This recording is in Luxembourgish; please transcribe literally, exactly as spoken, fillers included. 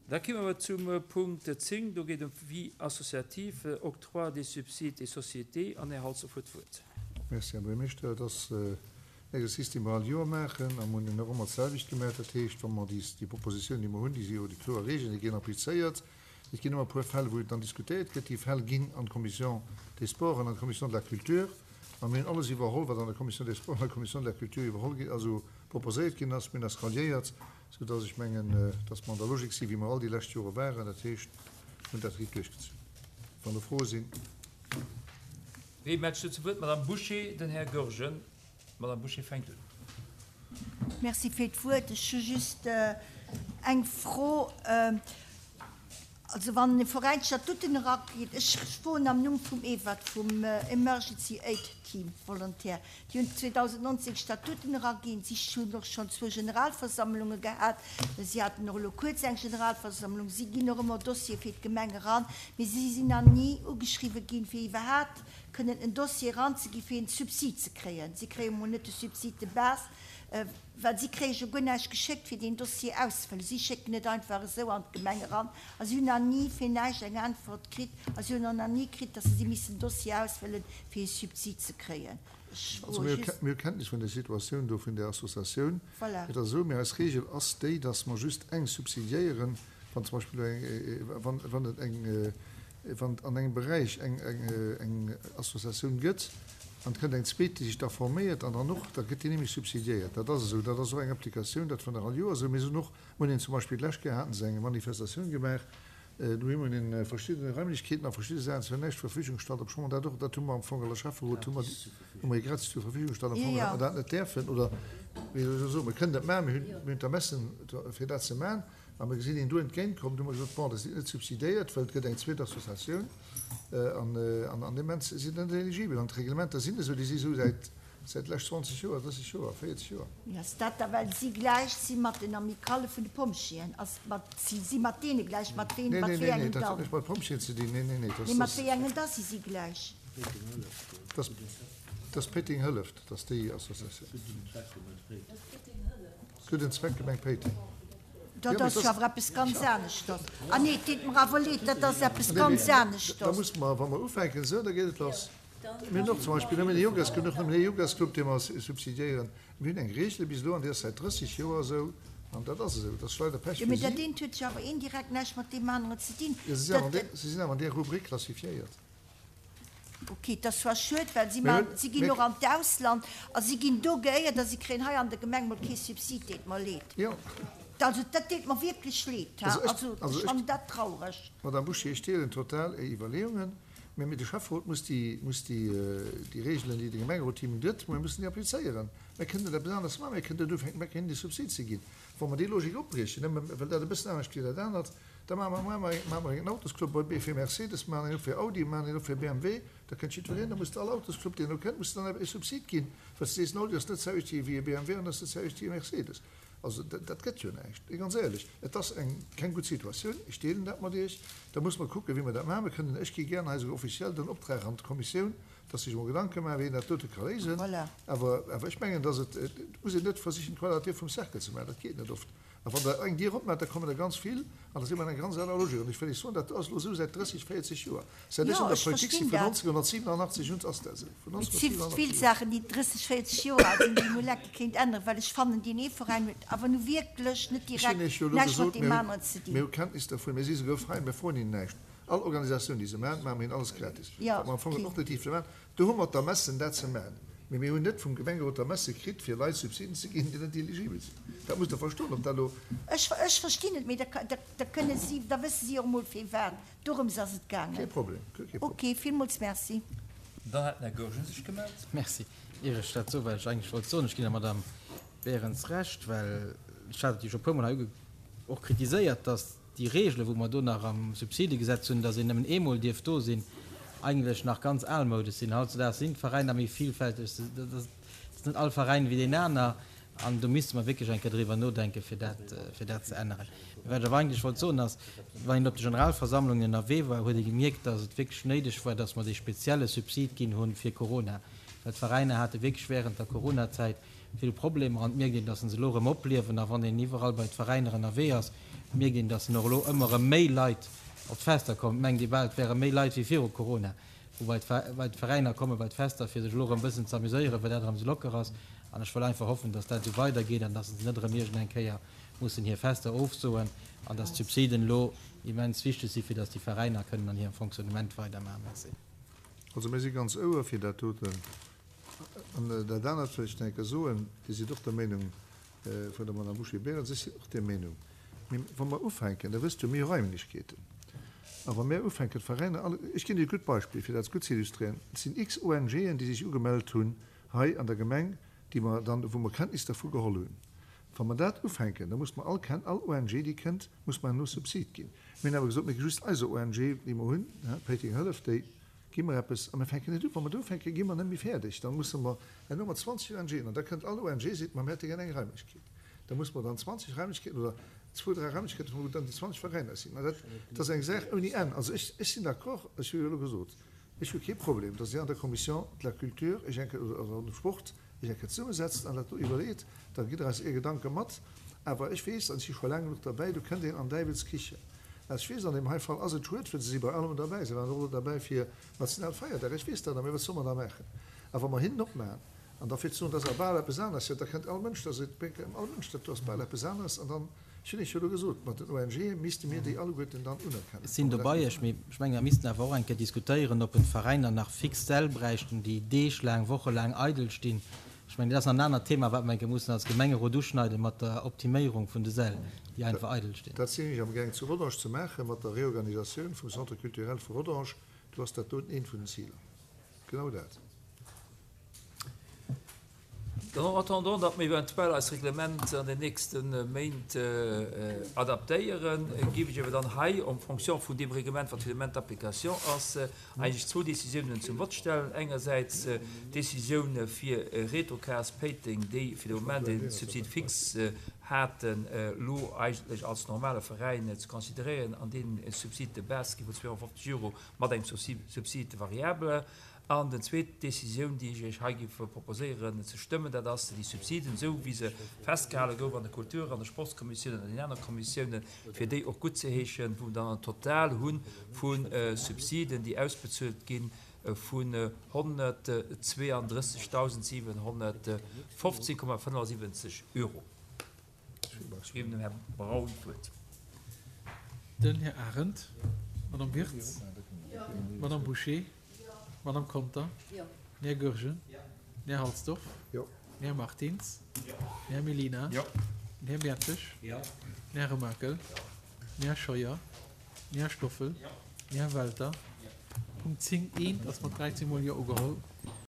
Da komme mer zum Punkt zéng, do geet et ëm d'Vie associative, Octroi des subsides et sociétés, an Här Halsdorf huet d'Wuert. Merci, Här Buergermeeschter. Et ass en Exercice, dee mer all Joer maachen, a mer hunn en och ëmmer d'selwecht gemaach. Dat heescht, wa mer déi, déi Propositioun, déi mer hunn, déi si jo déi kloer Regeln, déi ginn applizéiert. Et ginn ëmmer e puer Fäll, wou dann diskutéiert gëtt. Déi Fäll ginn an d'Commission des Sports an an d'Commission de la Culture. A mir hunn alles iwwerholl, wat an der Commission des Sports an der Commission de la Culture iwwerholl ginn, also proposéiert ginn ass. Mir hunn eis ralliéiert, soudass ech mengen, dass mer an der Logik sinn, wéi mer all déi lescht Jore waren. Dat heescht, mir hunn dat riicht duerchgezunn. Wann do Froe sinn. Wee mellt sech zu Wuert? D'Madame Bouché, den Här Goergen. D'Madame Bouché fänkt un. Merci fir d'Wuert. Ech hu just eng Fro. Also wann e Veräin d'Statuten erageet, ech froen am Numm vum EVAT, vum Emergency Aid Team Volontaire, déi hunn zweedausendnonzéng Statuten eraginn, si hunn och schonn zwou Generalversammlunge gehat, si haten och elo kuerz eng Generalversammlung, si ginn och ëmmer Dossiere fir d'Gemeng eran, mee si sinn nach ni ugeschriwwe ginn, fir iwwerhaapt kënnen en Dossier eranzeginn, fir en Subsid ze kréien. Si kréie mol net de Subside de base, well si kréie jo guer näischt geschéckt, fir deen Dossier auszefëllen. Si schécken et einfach esou an d'Gemeng eran a si hunn nach ni fir näischt eng Äntwert kritt a si hunn och nach ni kritt, datt se si missen en Dossier ausfëllen, fir e Subsid ze kréien. Ech Also froe mir hu just. mir hu Kenntnis vun der Situatioun do vun där Associatioun. Voilà. Et ass esou, mee eis Regel ass déi, datt mer just eng subsidiéieren, wann zum Beispill eng, wann, wann et eng, wann et an engem Beräich eng, eng, eng Associatioun gëtt an et kënnt eng zweet, déi sech da forméiert an dann och, da gëtt déi nämlech subsidiéiert. Dat ass esou, dat ass och eng Applikatioun, dat war nach all Joer esou. Mir sinn och, mir hunn zum Beispill d'lescht Kéier hate se eng Manifestatioun gemaach, do hu mer hinnen verschidde Raimlechkeeten a verschidde Saachen zur näischt Verfügung gestallt, obschonn mer dat och, dat hu mer am Fong als Schäfferot, hu mer, hu mer gratis zur Verfügung gestallt, am Fong hätte mer dat net däerfen oder, wéi soll ech soen, mer kënnen dat maachen, mir hunn, mir hunn d'Ermessen fir dat ze maachen. A mir gesinn een do entgéintkommen, hu mer gesot, bon, dat sidd net subsidiéiert, well et gëtt eng zweet Associatioun an an deem Moment sidd Der net eligibel. An d'Reglementer sinn esou, déi si esou säit säit lech zwanzeg Joer, drësseg Joer, véierzeg Joer. Ass dat da well si gläich si mat den Amicale vun de Pompjeeën? Ass mat si si mat deene gläich? Mat ween, Nee, mat nee, wéi nee, nee, engen dat huet dann? näischt mat Pompjeeën ze dinn. Nee, nee, nee, dat Nee, mat ass, wéi engen da si si gläich? dat ass Péiteng Hëlleft, dat ass déi Associatioun. Gudden Zweck, Gemeng Péiteng. Dat ass jo awer eppes ganz aneschters. Ah nee, et deet mer awer leed, dat ass eppes ganz Da aneschters. musse mer, wa mer ufänken esou, da geet et lass. Mir hunn och zum Beispill nëmmen ee Yogas, och nëmmen ee Yogasclub, dee mer subsidiéieren. Mir hunn eng Regel bis elo, an déi ass säit drësseg Joer esou, an dat ass esou. Dat ass leider Pech Jo, fir mee dat si. eent huet jo awer indirekt näischt mat deem aneren ze dinn. Jo, si sinn awer an Dat. där, si sinn awer an där Rubrik klassifiéiert. Ok, et ass zwar schued, well si Mir man, hunn, si ginn mir. och an d'Ausland a si ginn do geéiert a si kréien hei an der Gemeng mol kee Subsid. Deet mer leed. Jo. Also dat deet mer wierklech leed, ha. Also ech, Also also ech ech. fannen dat traureg. Madame Bouché, ech deelen total Är Iwwerleeungen, mä mee de Schäfferot muss déi, muss déi, déi Regelen, déi de Gemengerot him gëtt, mir mussen déi applizéieren. Mir kënnen net eppes aneres maachen, mir kënnen net ufänken, mir kënnen déi Subsid ze ginn. Wa mer déi Logik opbriechen, nëmme well dat e bëssen anescht wéi dat anert, da maache mer, maache mer, maache mer en Autosclub bei fir Mercedes, maachen een op fir Audi, maachen een op fir B M W, da kënnt jiddwereen, da muss all Autosclub, deen do kënnt, muss dann e Subsid ginn, well s de sees, en Audi ass net d'selwecht wéi e B M W an ass net d'selwecht wéi e Mercedes. Also dat, dat gëtt jo näischt, ganz éierlech. Et ass eng keng gutt Situatioun, ech deelen dat mat Iech. Da muss mer kucken, wéi mer dat maachen. Mir kënnen, ech gi gären hei esouguer offiziell den Optrag an d'Kommissioun, dass sech emol Gedanke maachen, wéi een dat dote ka léisen. Voilà. Awer, awer ech mengen, dass et, et muss een net versichen, d'Quadratur vum Cercle ze maachen, dat geet net oft. A wann Der eng Dier opmaacht, da kommen der ganz vill, an da si mer an enger ganz aner Logik. An ech wëll Iech soen, dat ass elo esou säit drësseg, véierzeg Joer. Säit ech Jo, an der ech Politik sinn, verstinn vun dat. nonzénhunnertsiwenanachtzeg un, ass dat esou. Vun Et si vill nonzénhunnertsiwenanachtzeg un. Saachen, déi drësseg, véierzeg Joer al sinn, déi ee mol lecke kéint änneren, well ech fannen, deen ee Veräin huet awer nu wierklech net Ech hunn direkt Iech jo elo näischt mat gesot, deem mir hunn, aneren ze mir dinn. hu Kenntnis dervun, mir si souguer frei, mir froen hinnen näischt. All Organisatioun, déi se maachen, maache mir hinnen alles gratis. Jo, Wat mer am Fong okay. och net dierfte maachen. Do hu mer d'Ermessen, dat ze maachen. Mee mir hunn net vum Gemengerot d'Ermesse kritt, fir Leit Subsiden ze ginn, déi net eligibel sinn. Dat musst Der verstoen, ob dat elo. Ech, ech verstinn et, mee da, da, da kënne si, da wësse si och emol firwat. Dorëms ass et Kee gaangen. Problem, kee Problem. Okay, villmools merci. Dann hat den Här Goergen sech gemellt. Merci. Ier ech dat soen, wat ech eigentlech wollt soen, ech ginn der Madame Berens Recht, well ech hat et jo scho e puermol hei och kritiséiert, dass déi Regele wou mer do nach am Subsidegesetz hunn, dass een nëmmen eemol dierf do sinn, eigentlech nach ganz almoudesch sinn. Hautzudags sinn d'Veräiner méi villfälteg, dat ass net all Veräin wéi deen aner an do misste mer wierklech eng Kéier driwwer nodenken, fir dat, fir dat ze änneren. Wat ech awer eigentlech wollt soen ass, wann een op de Generalversammlungen ënnerwee war, huet ee gemierkt, dass et wierklech néideg war, dass mer dee spezielle Subsid ginn hunn fir Corona, well d'Veräiner hate wierklech während der Coronazäit vill Problemer an et mierkt een, dass se elo erëm opliewen a wann een iwwerall bei d'Veräiner ënnerwee ass, mierkt een, dass och elo ëmmer erëm méi Leit op d'Fester kommen. Mengt ee bal, et wäre méi Leit wéi viru Corona, wou bei d'Veräiner komme bei d'Fester, fir sech elo erëm e bëssen ze amuséieren, well dat erëm esou locker ass. An ech wëll einfach hoffen, dass dat esou weidergeet an dass se net erëm iergend eng Kéier mussen hir Fester ofsoen an dass d'Subsiden elo immens wichteg si fir dass déi Veräiner kënnen an hirem Fonctionnement weidermaachen. Merci. Also mir si ganz ouer fir dat doten. An dat anert wëll ech nach eng Kéier soen, Dir sidd och der Meenung vun der Madame Bouché-Berens, ech sinn och där Meenung. Mee wa mer ufänken, Der wësst jo, mir hu Raimlechkeeten, a wa mir ufänken d'Veräiner alle, ech ginn Iech e gutt Beispill, fir dat gutt ze illustréieren, Et sinn x ONGen, déi sech ugemellt hunn hei an der Gemeng, déi mer dann, wou mer Kenntnis dervu geholl hunn. Wa mer dat ufänken, da muss mer all Ken, all ONG, déi kënnt, muss mer herno Subsid ginn. Mir hunn awer gesot, mir gi just eiser ONG, déi mer hunn, Péiteng Hëllef, déi gi mer eppes a mir fänken net u. Wa mer do ufänken, gi mer net méi fäerdeg. Da musse mer herno mat zwanzeg ONGen, an da kënnt all ONG, seet, ma mir hätte gär eng Raimlechkeet. Da musse mer dann zwanzeg Raimlechkeeten oder zwou, dräi Raimlechkeeten, wou dann déi zwanzeg Veräiner sinn. An dat, dat ass eng Saach ouni Enn. Also ech, ech sinn d'accord, ech hu jo elo gesot, ech hu kee Problem, datt Dir an der Commission de la Culture Iech eng Kéier, oder dem Sport, Iech eng Kéier zesummesetzt an dat do iwwerleet. Da gitt Der eis Är Gedanke mat. Awer ech weess, an ech si scho laang genuch derbäi, do kënnt een an Däiwels Kichen. Ech weess, an deem hei Fall ass et schued, well se si bei allem derbäi. Se waren och elo derbäi fir Nationalfeierdag. Ech weess dat, a mee wat soll mer da maachen? A wa mer hinnen opmachen an da fir ze soen, dat ass awer bal eppes aneres, jo, da kënnt all Mënsch, da seet all Mënsch, dat do ass bal eppes aneres. An dann, ech hunn Iech jo elo gesot, mat den ONGe misste mir déi alleguerten dann unerkennen. Ech sinn do bei Iech, mee ech menge mer missten awer och eng Kéier diskutéieren, ob et d'Veräiner nach fix Säll bräichten, déi deeglaang, wochelaang eidel stinn. Ech mengen, dat ass nach en anert Thema, wat mer eng Kéier mussen als Gemengerot uschneiden, mat der Optiméierung vun de Säll, déi einfach eidel stinn. Dat sinn ech amgaang zu Rodange ze maachen, mat der Reorganisatioun vum Centre culturel vu Rodange. Do ass dat doten eent vun den Ziler. Genau dat. Dann en attendant, datt mer eventuell eist Reglement an den nächste Méint adaptéieren, géif ech awer dann hei en fonction vun deem Reglement, wat fir de Moment d'application ass, eigentlech zwou Décisiounen zum Vott stellen. Engersäits d'Décisioun fir Retocas Péiteng, déi fir de Moment e Subside fixe haten, elo eigentlech als normale Veräin ze consideréieren an deenen e Subside de base gi vun zweehonnertfofzeg Euro mat engem Subside variable. An den zweet Décisioun, déi ech Iech hei géif proposéieren ze stëmmen, dat ass, déi Subsiden, esou wéi se festgehale gouf an der Kultur an der Sportskommissioun an an den anere Kommissiounen, fir déi och guttzeheeschen, wou mer dann en Total hu vu Subsiden, déi ausbezuelt ginn, vun honnertzweeandrëssegdausendsiwenhonnertfofzehn Komma fënnefundsiwwenzeg Euro. Ech ginn dem Här Braun d'Wuert. Den Här Arendt, d'Madame Wirtz, d'Madame Bouché, d'Madame Conter, den Här Goergen, den Här Halsdorf, den Här Martins, den Här Mellina, den Här Mertzig, den Här Remakel, den Här Scheuer, den Här Stoffel, den Här Welter. Punkt zéng eent ass mat dräizéng Mol Jo ugeholl.